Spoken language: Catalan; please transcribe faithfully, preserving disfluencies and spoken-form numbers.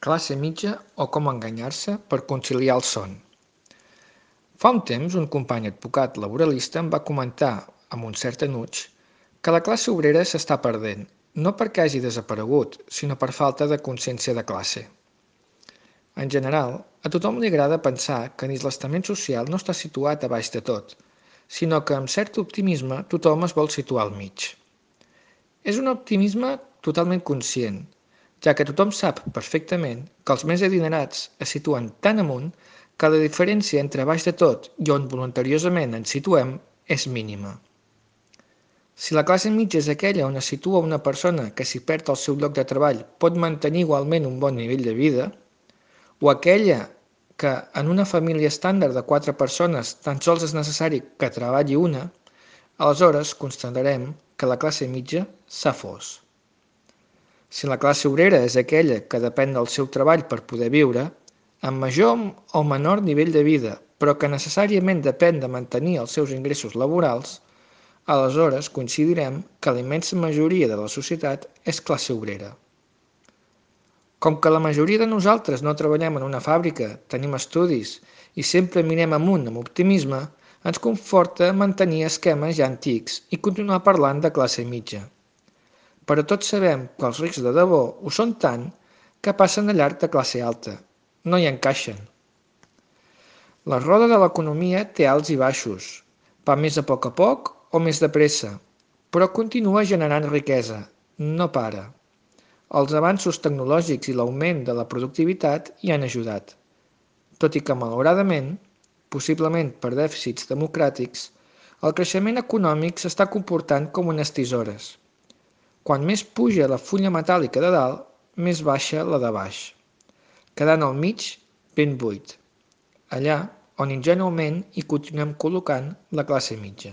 Classe mitja o com enganyar-se per conciliar el son. Fa un temps un company advocat laboralista em va comentar, amb un cert enuig, que la classe obrera s'està perdent, no perquè hagi desaparegut, sinó per falta de consciència de classe. En general, a tothom li agrada pensar que dins l'estament social no està situat a baix de tot, sinó que amb cert optimisme tothom es vol situar al mig. És un optimisme totalment conscient, ja que tothom sap perfectament que els més adinerats es situen tan amunt que la diferència entre baix de tot i on voluntariosament ens situem és mínima. Si la classe mitja és aquella on es situa una persona que si perd el seu lloc de treball pot mantenir igualment un bon nivell de vida, o aquella que en una família estàndard de quatre persones tan sols és necessari que treballi una, aleshores constatarem que la classe mitja s'ha fos. Si la classe obrera és aquella que depèn del seu treball per poder viure, amb major o menor nivell de vida, però que necessàriament depèn de mantenir els seus ingressos laborals, aleshores coincidirem que la immensa majoria de la societat és classe obrera. Com que la majoria de nosaltres no treballem en una fàbrica, tenim estudis i sempre mirem amunt amb optimisme, ens conforta mantenir esquemes ja antics i continuar parlant de classe mitja. Però tots sabem que els rics de debò ho són tant que passen de llarg de classe alta. No hi encaixen. La roda de l'economia té alts i baixos. Va més a poc a poc o més de pressa, però continua generant riquesa. No para. Els avanços tecnològics i l'augment de la productivitat hi han ajudat. Tot i que, malauradament, possiblement per dèficits democràtics, el creixement econòmic s'està comportant com unes tisores. Quan més puja la fulla metàl·lica de dalt, més baixa la de baix, quedant al mig ben buit, allà on ingènuament hi continuem col·locant la classe mitja.